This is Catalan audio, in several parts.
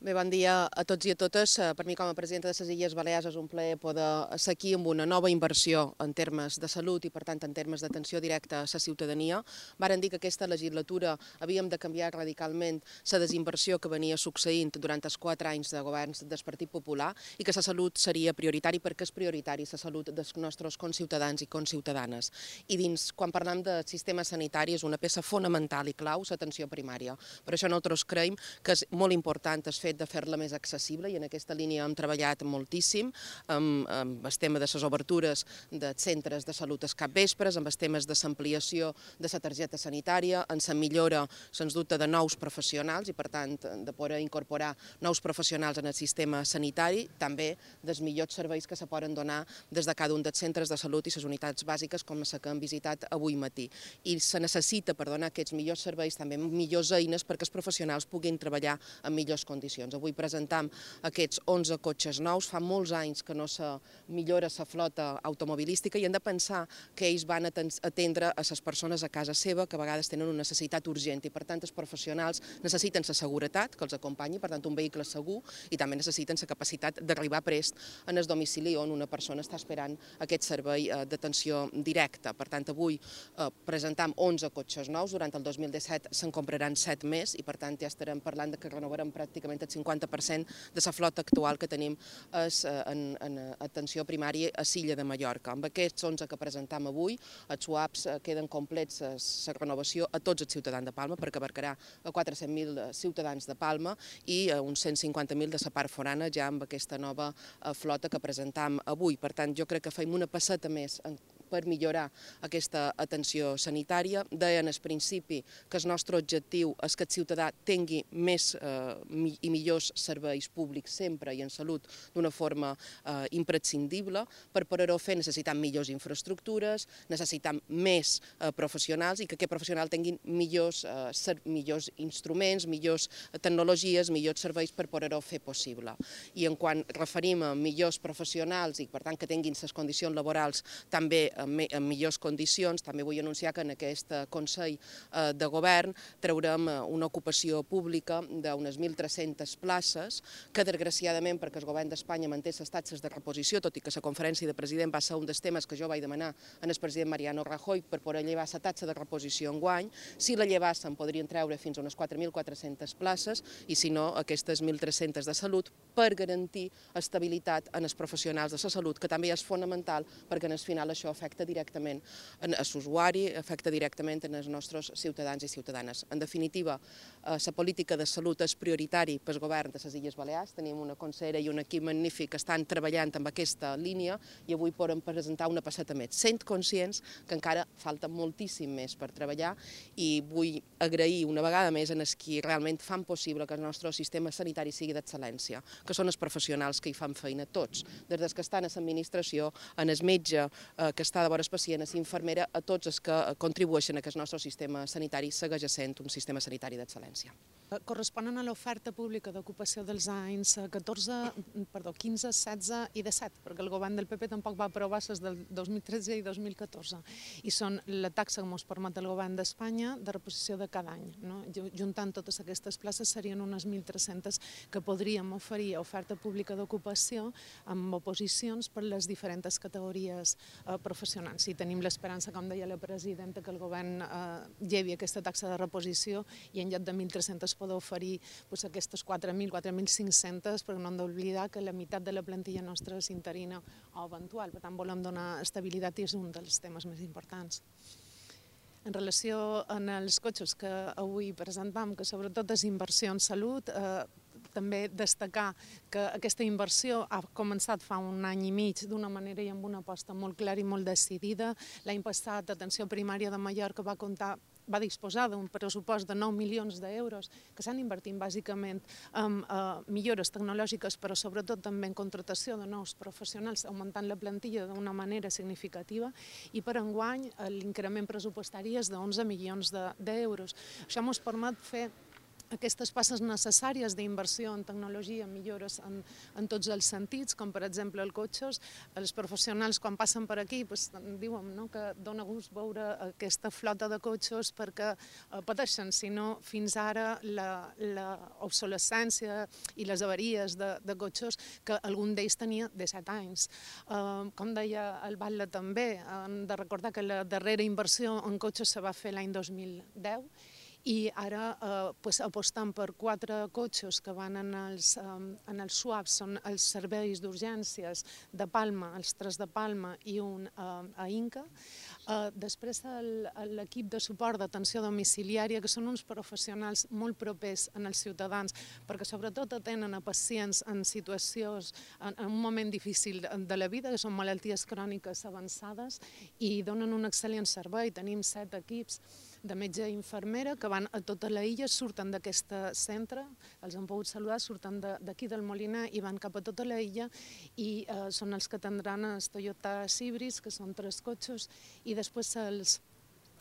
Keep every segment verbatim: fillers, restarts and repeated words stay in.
Bé, bon dia a tots i a totes. Per mi, com a presidenta de les Illes Balears, és un plaer poder ser aquí amb una nova inversió en termes de salut i, per tant, en termes d'atenció directa a la ciutadania. Varen dir que aquesta legislatura havíem de canviar radicalment la desinversió que venia succeint durant els quatre anys de governs del Partit Popular i que la salut seria prioritari perquè és prioritari la salut dels nostres conciutadans i conciutadanes. I dins, quan parlem de sistema sanitari, és una peça fonamental i clau l'atenció primària. Per això nosaltres creiem que és molt important el fet de fer-la més accessible i en aquesta línia hem treballat moltíssim amb, amb el tema de les obertures de centres de salut als capvespres, amb els temes de l'ampliació de la targeta sanitària, en la millora, sens dubte, de nous professionals i, per tant, de poder incorporar nous professionals en el sistema sanitari, també dels millors serveis que se poden donar des de cada un dels centres de salut i les unitats bàsiques com la que hem visitat avui matí. I se necessita, per donar aquests millors serveis, també millors eines perquè els professionals puguin treballar en millors condicions. Avui presentam aquests onze cotxes nous. Fa molts anys que no se millora la flota automobilística i hem de pensar que ells van atendre a les persones a casa seva que a vegades tenen una necessitat urgent i per tant els professionals necessiten la seguretat que els acompanyi, per tant un vehicle segur, i també necessiten la capacitat d'arribar prest en el domicili on una persona està esperant aquest servei d'atenció directa. Per tant, avui presentam onze cotxes nous, durant el dos mil disset se'n compraran set més i per tant ja estarem parlant que renovarem pràcticament el cinquanta per cent de la flota actual que tenim en, en atenció primària a l'illa de Mallorca. Amb aquests onze que presentam avui, els U A Ps queden complets la renovació a tots els ciutadans de Palma, perquè abarcarà a quatre-cents mil ciutadans de Palma i a uns cent cinquanta mil de la part forana ja amb aquesta nova flota que presentam avui. Per tant, jo crec que fem una passeta més en per millorar aquesta atenció sanitària. Deien al principi que el nostre objectiu és que el ciutadà tingui més eh, i millors serveis públics sempre i en salut d'una forma eh, imprescindible. Per poder-ho fer necessitam millors infraestructures, necessitam més eh, professionals i que aquests professionals tinguin millors, eh, millors instruments, millors tecnologies, millors serveis per poder-ho fer possible. I en quan referim a millors professionals i per tant que tinguin les condicions laborals també en millors condicions, també vull anunciar que en aquest Consell de Govern traurem una ocupació pública d'unes mil tres-centes places que, desgraciadament, perquè el Govern d'Espanya manté les taxes de reposició, tot i que la conferència de president va ser un dels temes que jo vaig demanar al president Mariano Rajoy per poder llevar la taxa de reposició enguany, si la llevassen podrien treure fins a unes quatre mil quatre-centes places i si no, aquestes mil tres-centes de salut per garantir estabilitat en els professionals de la salut, que també és fonamental perquè en el final això afecta directament a l'usuari, afecta directament als nostres ciutadans i ciutadanes. En definitiva, la política de salut és prioritari pel govern de les Illes Balears. Tenim una consellera i un equip magnífic que estan treballant amb aquesta línia i avui podem presentar una passeta més. Sent conscients que encara falta moltíssim més per treballar i vull agrair una vegada més a els qui realment fan possible que el nostre sistema sanitari sigui d'excel·lència, que són els professionals que hi fan feina tots, des dels que estan a l'administració, en el metge que està de vora el pacient, a l'infermera, a tots els que contribueixen a que el nostre sistema sanitari segueix sent un sistema sanitari d'excel·lència. Corresponen a l'oferta pública d'ocupació dels anys catorze, perdó, quinze, setze i disset, perquè el govern del P P tampoc va aprovar les del dos mil tretze i dos mil catorze. I són la taxa que ens permet el govern d'Espanya de reposició de cada any. No? Juntant totes aquestes places serien unes mil tres-centes que podríem oferir oferta pública d'ocupació amb oposicions per les diferents categories eh, professionals. I tenim l'esperança, com deia la presidenta, que el govern eh, llevi aquesta taxa de reposició i en lloc de mil tres-centes poder oferir pues, aquestes quatre mil, quatre mil cinc-centes, perquè no hem d'oblidar que la meitat de la plantilla nostra és interina o eventual. Per tant, volem donar estabilitat i és un dels temes més importants. En relació amb els cotxes que avui presentam, que sobretot és inversió en salut, eh, també destacar que aquesta inversió ha començat fa un any i mig d'una manera i amb una aposta molt clara i molt decidida. L'any passat, Atenció Primària de Mallorca va comptar va disposar d'un pressupost de nou milions d'euros que s'han invertit bàsicament en eh, millores tecnològiques, però sobretot també en contractació de nous professionals, augmentant la plantilla d'una manera significativa, i per enguany l'increment pressupostari és d'onze milions d'euros. Això ens permet fer aquestes passes necessàries d'inversió en tecnologia, millores en, en tots els sentits, com per exemple els cotxes. Els professionals quan passen per aquí pues, diuen no, que dona gust veure aquesta flota de cotxes perquè eh, pateixen, si no fins ara l'obsolescència i les avaries de, de cotxes que algun d'ells tenia disset anys. Eh, com deia el Batlle també, hem de recordar que la darrera inversió en cotxes se va fer l'any dos mil deu i ara eh, pues, apostant per quatre cotxes que van en els, um, en els SWAP, són els serveis d'urgències de Palma, els tres de Palma i un uh, a Inca. Uh, després l'equip de suport d'atenció domiciliària, que són uns professionals molt propers en els ciutadans, perquè sobretot atenen a pacients en situacions, en, en un moment difícil de la vida, que són malalties cròniques avançades, i donen un excel·lent servei. Tenim set equips de metge i infermera que van a tota la illa, surten d'aquest centre, els han pogut saludar, surten d'aquí del Molinar i van cap a tota la illa i eh, són els que atendran els Toyota Cibris, que són tres cotxes, i després els,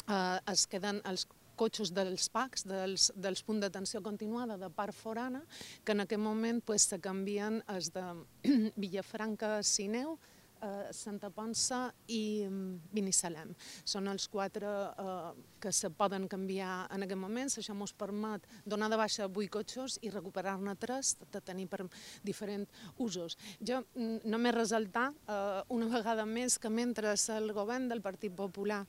eh, es queden els cotxes dels P A Cs, dels, dels punts d'atenció continuada de Part Forana, que en aquest moment pues, se canvien els de Villafranca-Sineu, Uh, Santa Ponça i um, Binissalem. Són els quatre uh, que se poden canviar en aquest moment. Això ens permet donar de baixa vuit cotxes i recuperar-ne tres, de tenir per diferents usos. Jo mm, només resaltar uh, una vegada més que mentre el govern del Partit Popular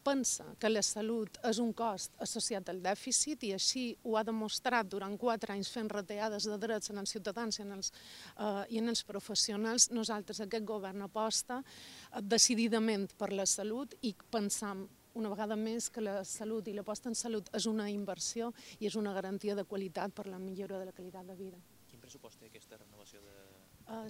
pensa que la salut és un cost associat al dèficit i així ho ha demostrat durant quatre anys fent retallades de drets en els ciutadans i en els, eh, i en els professionals, nosaltres aquest govern aposta decididament per la salut i pensam una vegada més que la salut i l'aposta en salut és una inversió i és una garantia de qualitat per la millora de la qualitat de vida. Quin pressupost té aquesta renovació de... Uh,